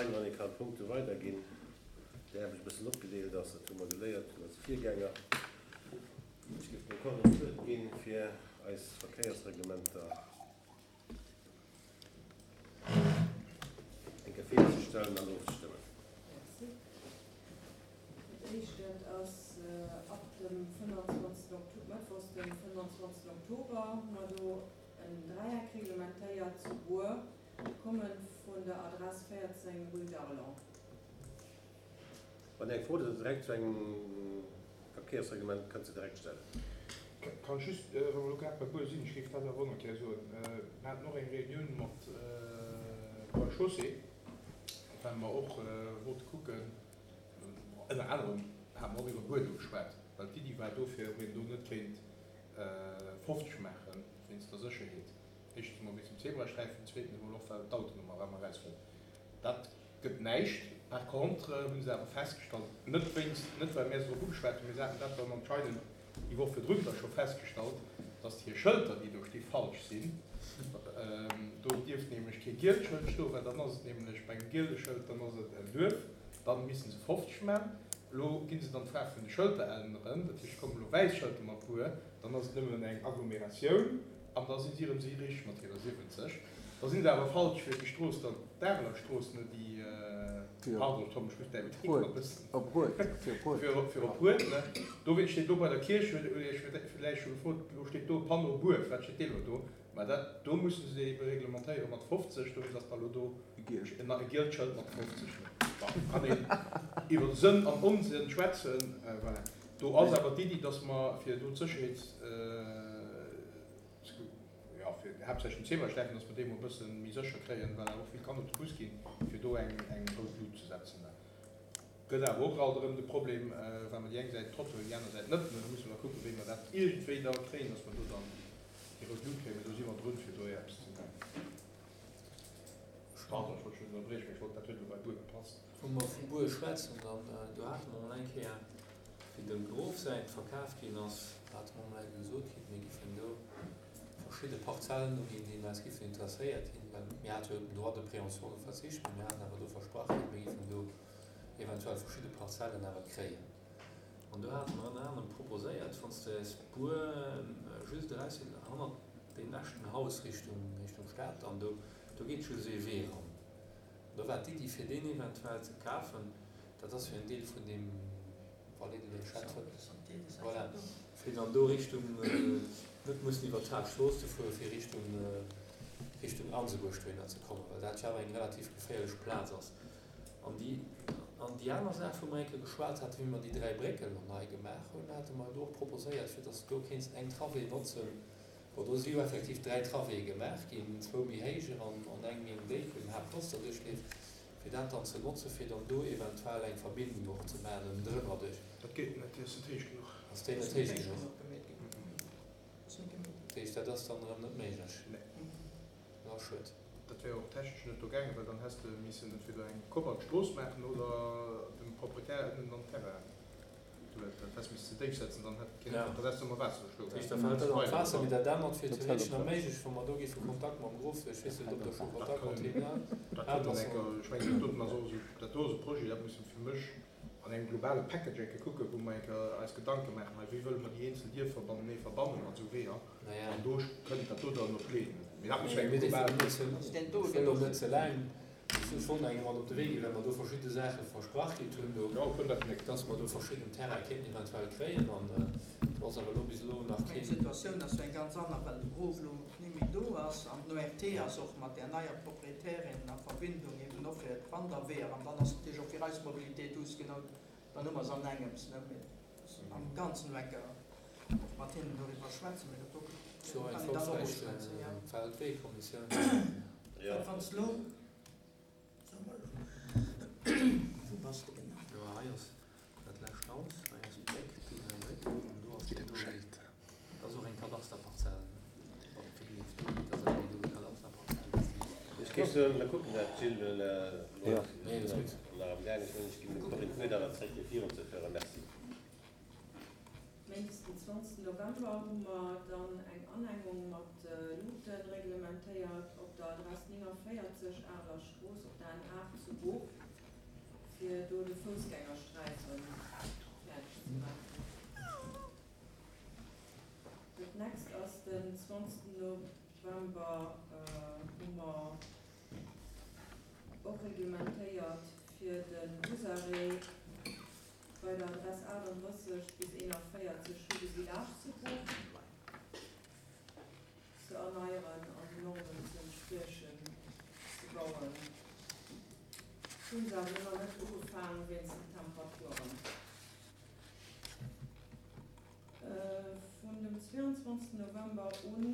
Fein, wann ee kann d'Punkte weiderginn, déi Aarbecht e bëssen opgedeelt ass. Dat hu mer geléiert vun eise Virgänger. Ech géif dem Corinne d'Wuert ginn, fir eis Verkéiersreglementer eng Kéier virzestellen an ofzestëmmen. Merci. Dat éischt, dat ass ab dem 25. Oktober, mëttwochs dem 25. Oktober hu mer do en Dräieck reglementéiert zu Buer, kommend vun der Adress 14 rue d'Arlon. Wann Dir eng Fro hutt direkt zu engem Verkéiersreglement, kënnt se direkt stellen. Kann ech just, wa mer elo grad bei Buer sinn, ech géif dat awer och nach gär soen, Mir haten och eng Reunioun mat Voies et Chaussées, well mer och wollte kucken, ënner anerem hate mer och iwwer Buer do geschwat, well d'Iddi war do, fir ob een do net kéint 50 maache wéinst der Sécherheet, éischtens emol wéinst dem Zebrasträifen, zweetens emol och well d'Autoen ëmmer erëm erausféieren. Dat gëtt näischt. Par contre hu se awer festgestallt, net wéinst, net well mär se drop ugeschwat hunn, mee se haten dat dann anscheinend déi Woch virdrun da scho festgestallt, dass hir Schëlter, déi do sti, falsch sinn. Do dierft nämlech kee gielt Schëld stoen, well dann ass et nämlech bei engem giele Schëld, dann ass et en Duerf, dann misste se 50 man. Elo gi se dann d'Faarf vun de Schëlter änneren, dat heescht et kommen elo wäiss Schëlter mat Buer, dann ass et nëmmen eng Agglomeratioun an da si si erëm si richteg mat hirer 70. Da sinn se awer falsch fir déi Strooss dann, d'Areler Strooss, ne, déi, pardon, Tom, ech muss däi Betrib nach e bëssen, Op Rued, fir op Rued. Fir op Rued, ne. Dowéinst steet do bei der Kierch, hutt Dir Iech villäicht scho gefrot, elo steet do e Panneau Buer, firwat steet dee elo do? Mä dat do musse se ebe reglementéiere mat 50, dowéinst ass da elo do e gielt Schëld mat 50, ne. Bon, kann een iwwer Sënn an Onsënn schwätzen, voilà. Do ass awer d'Iddi, dass mer fir do d'Sécherheets, Jo, fir haaptsächlech den Zebrasträifen, dass mer dee mol e bësse méi sécher kréien, well awer och vill Kanner zu Bus ginn, fir do eng rout Lut ze setzen. Gëtt awer och alt erëm de Problem, well mer déi eng Säit Trottoir hunn, déi aner Säit net. Da musse mer da kucken, wéi mer dat iergendwéi da kréien, dass mer do dann déi rout Lut kréien. Mee do si mer drun, fir do eppes ze maachen. Pardon, ech wollt dech net ënnerbriechen, mee ech wollt, dat huet elo bei Buer gepasst. Wou mer vu Buer schwätzen, dann do hate mer mol eng Kéier, wéi dem Grof säint verkaf ginn ass, hate mer mol eng Kéier gesot kritt, mir giffen do verschidde Parzellen uginn, déi eis giffen interesséiert hinn, well mir hate jo op den Droit de préemption do verzicht, mä mir haten awer do versprach kritt, mir giffen do eventuell verschidde Parzellen awer kréien. An do hate mer ënner anerem proposéiert, wann s de aus Buer just eraus, hannert deem leschten Haus Richtung, Richtung Stad dann do, do geet just ee Wee eran. Do war d'Iddi fir deen eventuell ze kafen, dat ass jo en Deel vun deem Vallée de l'Échette, voilà, fir dann do Richtung, net mussen iwwert d'Haaptstrooss ze fueren, fir Richtung, Richtung Ansebuerg dohinner ze kommen, well dat jo awer eng relativ geféierlech Plaz ass. An déi, an déi aner Saach, wou mer eng Kéier geschwat haten, wéi mer déi 3 Brécken elo nei gemaach hunn, hate mer do och proposéiert, fir dass de do kéints eng Travée notzen, Bon, do si jo effektiv 3 Travéeë gemaach ginn, zwou méi héijer an eng méi eng déif, wou den Haaptnotzer duerchleeft, fir dat dann ze notzen, fir dann do eventuell eng Verbindung och ze maachen ënnendrënner duerch. Dat geet net, déi ass net héich genuch. Ass déi net héich genuch? Dat heescht, dat ass dann erëm net méiglech? Nee. Dat ass schued. Dat wär och technesch net do gaangen, well dann häss de missen entweder eng Kopp an d'Strooss maachen oder dem Proprietär ënnen an den Terrain. Dat häss missen ze déif setzen, dann hätt keen dat häss du ëmmer Waasser geschloen. Dat heescht, da fält dat an d'Waasser, mee dat anert wier theoretesch nach méiglech, wa mer do géife Kontakt mam Grof, ech weess net, ob Der scho Kontakt mat him hat, Dat kënnen enker, ech mengen, dat doten ass och esou, dat do ass e Projet, dat musse fir mech an engem globale Package enke kucken, wou mer enker eis Gedanke maachen, hei, wéi wëlle mer déi eenzel Dierfer bantenee verbannen mat esou Weeër, an do kënnt dat do dann op d'Been. Mee dat muss engem globalen. Ech wëll och net ze laang. Ech hu schonn engem mat op de Wee ginn, well mer do verschidde Saache versprach kritt hunn do, dass mer do verschidden Terraine kéinten eventuell kréien. An do ass awer elo bis elo nach keen. D'Situatioun ass jo eng ganz aner, well de Grof elo ni méi do ass an den ORT ass och mat där neier Proprietärin a Verbindung, eben och fir d'Wanderweeër. An dann ass natierlech och fir eis Mobilité douce genau, dann hu mer se an engems, ne. Mee am Ganzen elo eng Kéier och mat hinnen doriwwer schwätzen, mee dat do kann een dann och uschwätzen, jo. Feldweekommissioun. Wat wann s lo, so mol elo, wou bass de genau? Jo, hei ass dat lescht Haus, hei ass d'Bréck, déi hei Bréck, an do ass déi do. Dat ass och eng Kadasterparzell, wann et fir gleeft. Dat ass awer déi do Kadasterparzell. Ech géif soen, mir kucken dat, Gilles, well nach am gaange sinn. Ech ginn dem Corinne d'Wuert awer zréck, fir virunzeféieren. Merci. Méindes den 20 November hu mer dann eng Anengung mat Luuten reglementéiert op der. der Adress 49 Areler Strooss op der N8 zu Booch, fir do de Foussgängersträife fäerdeg ze maachen. Dat nächst ass den 20 November, hu mer och reglementéiert fir de Busarrêt bei der Adress 38 bis 41 Rue de Village zu Bruch ze erneieren an den Normen ze entspriechen ze bauen. Hunn se awer nach net ugefaang wéinst den Temperaturen. Vun dem 22 November un.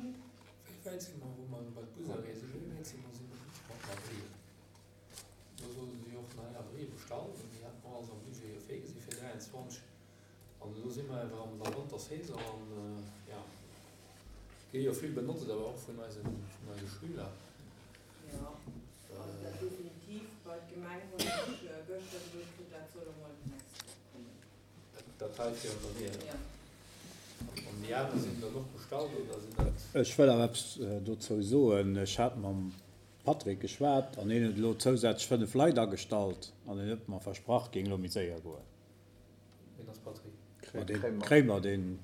Wéi wäit si mer, wou mer bei d'Busarrêt sinn, wéi wäit si mer si mer mat der Abrie? Do solle se jo och nei Abrie bestallen, déi hate mer alles am Budget jo virgesi fir 23. An elo si mer awer an der Wantersaison an, jo, gi jo vill benotzt, awer och vun eise, vun eise Schüler. Jo, also dat definitiv. Bei d'Gemeng hunn ech gëschter gesot kritt, dat soll emol d'nächst Woch kommen. Dat hei fir an der Wier. Jo. An déi aner sinn dann och bestallt oder sinn dat? Ech wëll awer eppes dozou soen. Ech hat mam Patrick geschwat an hien huet elo zousätzlech 5 Leit agestallt an hien huet mer versprach, géing elo méi séier goen. Ween ass Patrick? Ma dee Kréimer, deen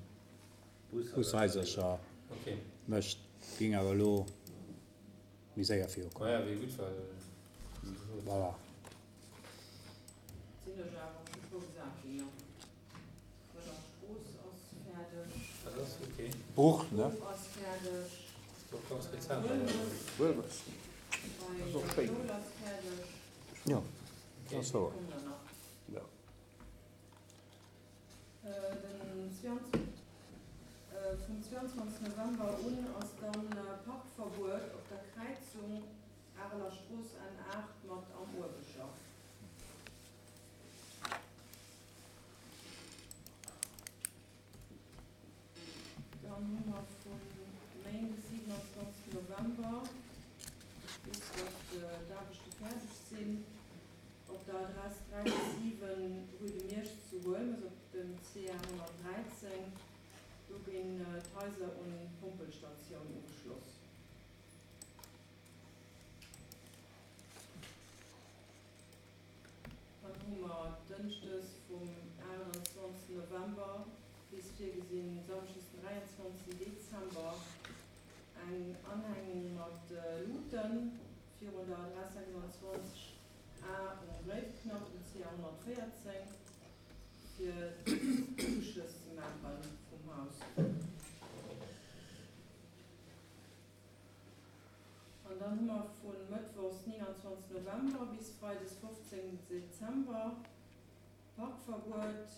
Bushaisercher mécht, géing awer elo méi séier virukommen. Maja, wier gutt, well. Voilà. Sinn ech awer scho frou gesat ginn, jo. D'Rëller Strooss ass fäerdeg. Dat ass ok. Bruch, ne? D'Bruch ass fäerdeg. Dat ass ganz rezent awer. Huelmes. Bei der Schoul ass fäerdeg. Jo, dat ass wouer. Kommen der nach. Jo. Den 22, vum 22 November un ass dann Parkverbuet op der Kräizung Areler Strooss N8 mat Am Ueweger. Dann hu mer vu Méindes 27 November bis datt d'Aarbechte fäerdeg sinn, op der Adress 3 bis 7 Rue de Miersch zu Huelmes op dem CR 113, do ginn d'Haiser un d'Pompelstatioun ugeschloss. Dann hu mer Dënschdes vum 28 November bis virgesinn Samschdes den 23 Dezember eng Anhängung mat Luuten virun der Adress 26 A um Gréifknapp um CA 114 fir d'Uschlëss ze maache vum Haus. An dann hu mer vu mëttwochs 29 November bis freides 15 Dezember Parkverbuet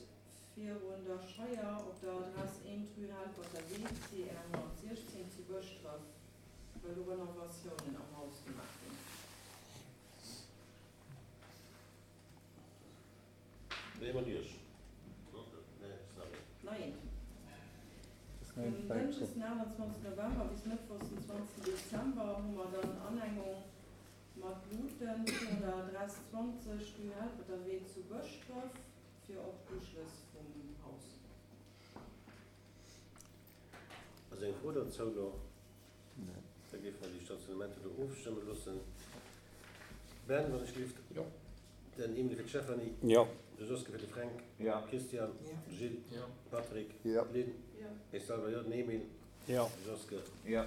virun der Scheier op der Adress 1 Rue Helperter Wee, CR 116 zu Bëschdref, well do Renovatiounen am Haus gemaach ginn. Nee, mat Iech. Nein. Vum Dënschdes den 28 November bis Mëttwochs den 20 Dezember hu mer dann Anhängung mat Luuten virun der Adress 20 Rue Helperterwee zu Bëschdref fir och d'Uschlëss vum Haus. Ass eng Fro dozou do? Da géife mer déi Stationnementer do ofstëmme loossen. Ben, wann ech gelift. Jo. Den Emile fir d'Stéphanie. Jo. De Joske fir de Fränk. Jo. Christian. Jo. De Gilles. Jo. Patrick. Jo. D'Lynn. Jo. Ech selwer jo. Den Emile. Jo. De Joske. Jo.